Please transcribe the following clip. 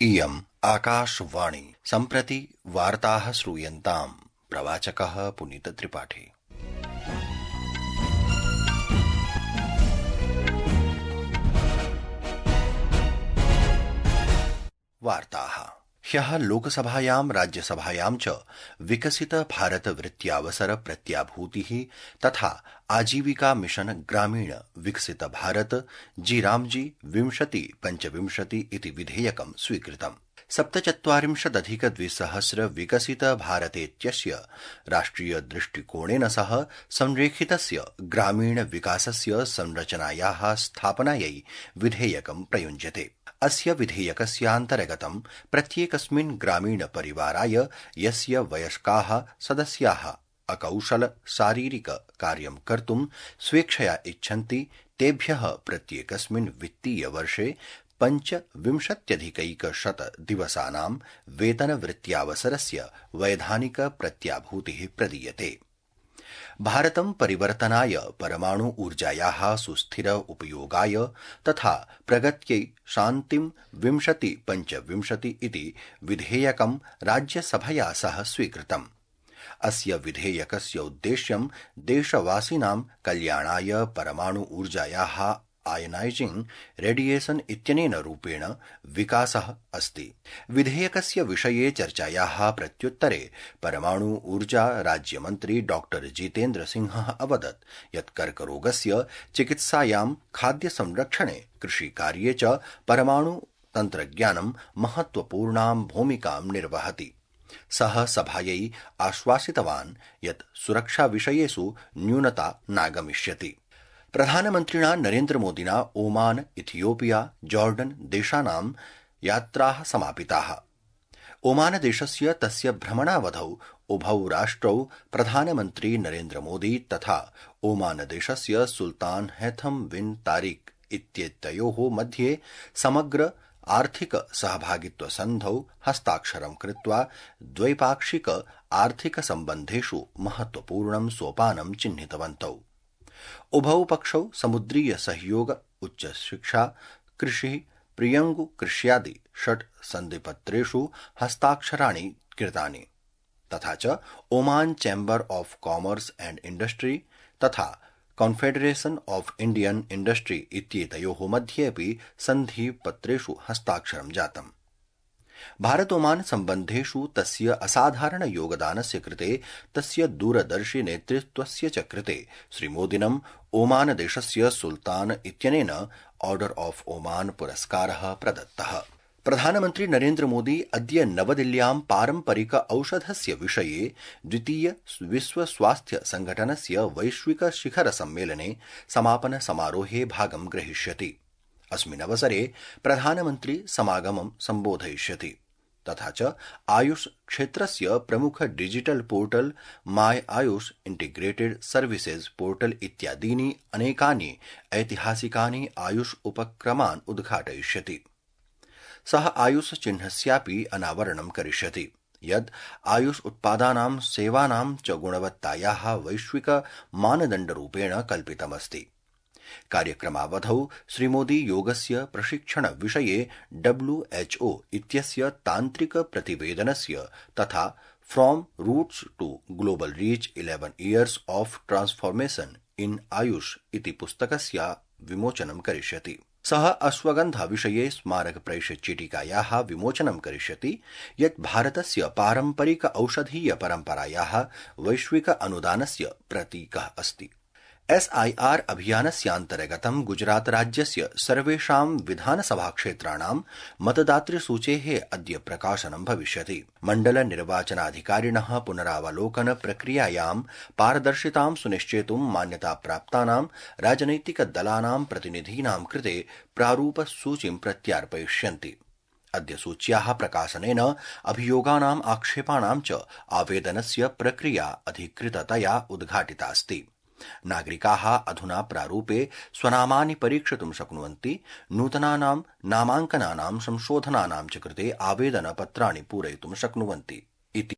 इयम् आकाशवाणी। सम्प्रति वार्ताः श्रूयन्ताम्। प्रवाचकः पुनीतत्रिपाठी। वार्ताः। ह्यः लोकसभायां राज्यसभायां च विकसित भारत वृत्त्यावसर प्रत्याभूतिः तथा आजीविका मिशन ग्रामीण विकसित भारत जी 2025 इति विधेयकं स्वीकृतम्। 47,अधिक-2,000 विकसित भारतेत्यस्य राष्ट्रिय दृष्टिकोणेन सह संरेखितस्य ग्रामीण विकासस्य संरचनायाः स्थापनायै विधेयकं प्रयुञ्जते। अस्य विधेयकस्यान्तर्गतं प्रत्येकस्मिन् ग्रामीण परिवाराय यस्य वयस्काः सदस्याः अकौशल शारीरिक कार्यं कर्तुं स्वेच्छया इच्छन्ति तेभ्यः प्रत्येकस्मिन् वित्तीय वर्षे 25,100 दिवसानां वेतनवृत्त्यावसरस्य वैधानिक प्रत्याभूतिः प्रदीयते। भारतं परिवर्तनाय परमाणु ऊर्जायाः सुस्थिर उपयोगाय तथा प्रगत्यै शान्तिं 2025 इति विधेयकं राज्यसभया सह स्वीकृतम्। अस्य विधेयकस्य उद्देश्यं देशवासिनां कल्याणाय परमाणु ऊर्जायाः आयनाइजिंग रेडिएशन इत्यनेन रूपेण विकासः अस्ति। विधेयकस्य विषये चर्चायाः प्रत्युत्तरे परमाणु ऊर्जा राज्यमन्त्री डॉ जितेन्द्र सिंहः अवदत् यत् कर्करोगस्य चिकित्सायां खाद्य संरक्षणे कृषिकार्ये च परमाणु तन्त्रज्ञानं महत्वपूर्णां भूमिकां निर्वहति। सः सभायै आश्वासितवान् यत् सुरक्षाविषयेषु न्यूनता नागमिष्यति। प्रधानमन्त्रिणा नरेन्द्रमोदिना ओमान, इथियोपिया, जॉर्डन देशानां यात्राः समापिताः। ओमानदेशस्य तस्य भ्रमणावधौ उभौ राष्ट्रौ प्रधानमन्त्री नरेन्द्रमोदी तथा ओमानदेशस्य सुल्तान हैथम बिन तारिक इत्येतयोः मध्ये समग्र आर्थिक सहभागित्व सन्धौ हस्ताक्षरं कृत्वा द्वैपाक्षिक आर्थिक सम्बन्धेषु महत्वपूर्णं सोपानं चिह्नितवन्तौ। उभौ पक्षौ समुद्रीय सहयोग, उच्च शिक्षा, कृषि, प्रियंगु कृष्यादि 6 सन्धिपत्रेषु हस्ताक्षराणि कृतानि तथा च Oman chamber of commerce and industry तथा कॉन्फेडरेशन ऑफ इंडियन इंडस्ट्री इत्येतयोः मध्येऽपि सन्धिपत्रेषु हस्ताक्षरं जातम्। भारत ओमान सम्बन्धेषु तस्य असाधारण योगदानस्य कृते तस्य दूरदर्शि नेतृत्वस्य च कृते श्रीमोदिनं ओमानदेशस्य सुल्तान इत्यनेन ऑर्डर ऑफ ओमान पुरस्कारः प्रदत्तः। प्रधानमन्त्री नरेन्द्रमोदी अद्य नवदिल्ल्यां पारम्परिक औषधस्य विषये द्वितीय विश्व स्वास्थ्य संघटनस्य वैश्विक शिखर सम्मेलने समापन समारोहे भागं ग्रहीष्यति। अस्मिन् अवसरे प्रधानमन्त्री समागमं सम्बोधयिष्यति तथा च आयुष क्षेत्रस्य प्रमुख डिजिटल पोर्टल माय आयुष इंटीग्रेटेड सर्विसेज पोर्टल इत्यादीनि अनेकानि ऐतिहासिकानि आयुष उपक्रमान् उद्घाटयिष्यति। सः आयुष चिह्नस्यापि अनावरणं करिष्यति यद् आयुष उत्पादानां सेवानां च गुणवत्तायाः वैश्विक मानदण्डरूपेण कल्पितमस्ति। कार्यक्रमावधौ श्रीमोदी योगस्य प्रशिक्षण विषये WHO इत्यस्य तान्त्रिक प्रतिवेदनस्य तथा from roots to global reach 11 years of transformation in Ayush इति पुस्तकस्य विमोचनं करिष्यति। सः अश्वगन्धा विषये स्मारक प्रैषचिटिकायाः विमोचनं करिष्यति यत् भारतस्य पारम्परिक औषधीय परम्परायाः वैश्विक अनुदानस्य प्रतीकः अस्ति। SIR अभियानस्यान्तर्गतं गुजरात राज्यस्य सर्वेषां विधानसभा क्षेत्राणां मतदातृसूचेः अद्य प्रकाशनं भविष्यति। मण्डल निर्वाचनाधिकारिणः पुनरावलोकन प्रक्रियायां पारदर्शितां सुनिश्चेतुं मान्यताप्राप्तानां राजनैतिक दलानां प्रतिनिधीनां कृते प्रारूपसूचीं प्रत्यार्पयिष्यन्ति। अद्य सूच्याः प्रकाशनेन अभियोगानाम् आक्षेपाणां च आवेदनस्य प्रक्रिया अधिकृततया उद्घाटितास्ति। नागरिकाः अधुना प्रारूपे स्वनामानि परीक्षितुं शक्नुवन्ति। नूतनानां नामाङ्कनानां संशोधनानां च कृते आवेदनपत्राणि पूरयितुं शक्नुवन्ति इति